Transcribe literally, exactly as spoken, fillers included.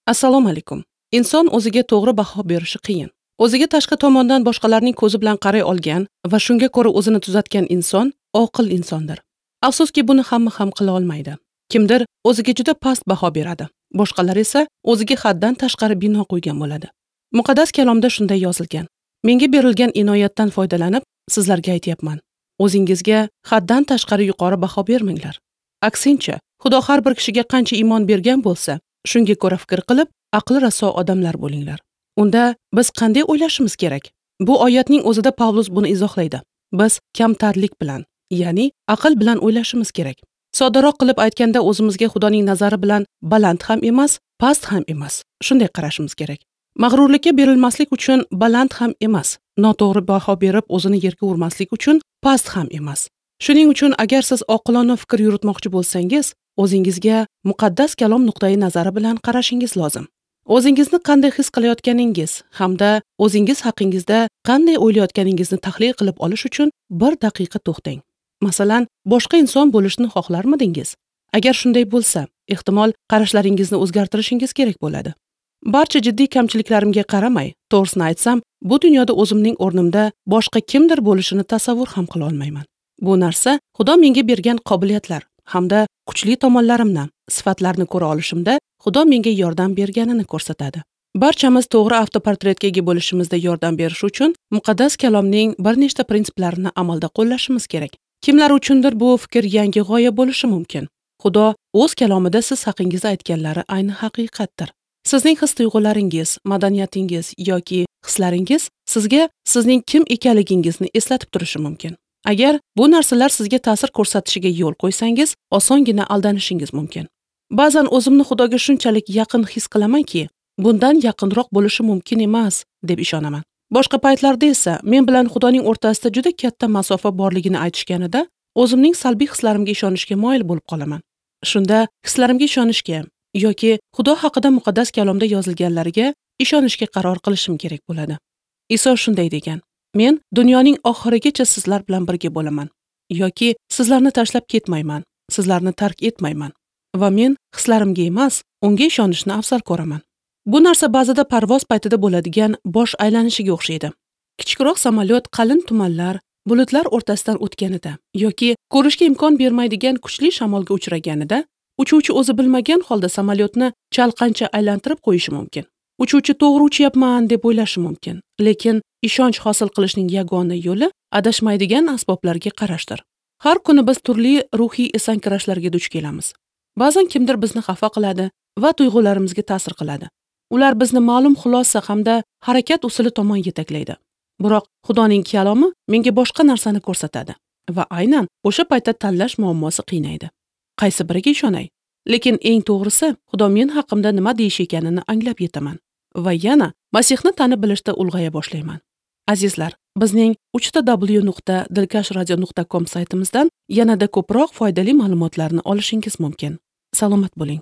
Assalomu alaykum. Inson o'ziga to'g'ri baho berishi qiyin. O'ziga tashqi tomondan boshqalarning ko'zi bilan qaray olgan va shunga ko'ra o'zini tuzatgan inson oqil insondir. Afsuski, buni hamma ham qila olmaydi. Kimdir o'ziga juda past baho beradi, boshqalar esa o'ziga haddan tashqari bino qo'ygan bo'ladi. Muqaddas kalomda shunday yozilgan: Menga berilgan inoyatdan foydalanib, sizlarga aytyapman. O'zingizga haddan tashqari yuqori baho bermanglar. Aksincha, Xudo har bir kishiga qancha iymon bergan bo'lsa, shunga ko'ra fikr qilib, aqli raso odamlar bo'linglar. Unda biz qanday o'ylashimiz kerak? Bu oyatning o'zida Pavlus buni izohlaydi. Biz kamtarlik bilan, ya'ni aql bilan o'ylashimiz kerak. Soddaroq qilib aytganda, o'zimizga Xudoning nazari bilan baland ham emas, past ham emas, shunday qarashimiz kerak. Mag'rurlikka berilmaslik uchun baland ham emas, noto'g'ri baho berib o'zini yerga urmaslik uchun past ham emas. Shuning uchun agar siz oqilona fikr yuritmoqchi bo'lsangiz, o'zingizga muqaddas kalom nuqtai nazari bilan qarashingiz lozim. O'zingizni qanday his qilayotganingiz hamda o'zingiz haqingizda qanday o'ylayotganingizni tahlil qilib olish uchun bir daqiqa to'xtang. Masalan, boshqa inson bo'lishni xohlarmidingiz? Agar shunday bo'lsa, ehtimol qarashlaringizni o'zgartirishingiz kerak bo'ladi. Barcha jiddiy kamchiliklarimga qaramay, to'g'risini aytsam, bu dunyoda o'zimning o'rnimda boshqa kimdir bo'lishini tasavvur ham qila olmayman. Bu narsa Xudo menga bergan qobiliyatlar hamda kuchli tomonlarimni, sifatlarni ko'ra olishimda Xudo menga yordam berganini ko'rsatadi. Barchamiz to'g'ri avtoportretga ega bo'lishimizda yordam berish uchun muqaddas kalomning bir nechta prinsiplarini amalda qo'llashimiz kerak. Kimlar uchundir bu fikr yangi g'oya bo'lishi mumkin. Xudo o'z kalomida siz haqingizda aytganlari ayni haqiqatdir. Sizning his-tuyg'ularingiz, madaniyatingiz yoki hislaringiz sizga sizning kim ekanligingizni eslatib turishi mumkin. Agar bu narsalar sizga ta'sir ko'rsatishiga yo'l qo'ysangiz, osongina aldanishingiz mumkin. Ba'zan o'zimni Xudoga shunchalik yaqin his qilamanki, bundan yaqinroq bo'lishi mumkin emas deb ishonaman. Boshqa paytlarda esa men bilan Xudoning o'rtasida juda katta masofa borligini aytishganida, o'zimning salbiy hislarimga ishonishga moyil bo'lib qolaman. Shunda hislarimga ishonishga yoki Xudo haqida muqaddas kalomda yozilganlarga ishonishga qaror qilishim kerak bo'ladi. Iso shunday degan: Men dunyoning oxirigacha sizlar bilan birga bo'laman yoki sizlarni tashlab ketmayman, sizlarni tark etmayman va men hislarimga emas, unga ishonishni afzal ko'raman. Bu narsa ba'zida parvoz paytida bo'ladigan bosh aylanishiga o'xshaydi. Kichikroq samolyot qalin tumanlar, bulutlar o'rtasidan o'tganida yoki ko'rishga imkon bermaydigan kuchli shamolga uchraganida, uchuvchi o'zi bilmagan holda samolyotni chalqancha aylantirib qo'yishi mumkin. Uchuvchi to'g'ri uchyapman deb o'ylashi mumkin, lekin ishonch hosil qilishning yagona yo'li adashmaydigan asboblarga qarashdir. Har kuni biz turli ruhiy esankirashlarga duch kelamiz. Ba'zan kimdir bizni xafa qiladi va tuyg'ularimizga ta'sir qiladi. Ular bizni ma'lum xulosa hamda harakat usuli tomon yetaklaydi. Biroq Xudoning kalomi menga boshqa narsani ko'rsatadi va aynan o'sha paytda tanlash muammosi qiynaydi. Qaysi biriga ishonay? Lekin eng to'g'risi, Xudo men haqimda nima deyish ekanini anglab yetaman va yana Masihni tanib bilishda ulg'aya boshlayman. Azizlar, bizning uch ta W nuqta dilkash radio nuqta com saytimizdan yanada ko'proq foydali ma'lumotlarni olishingiz mumkin. Salomat bo'ling.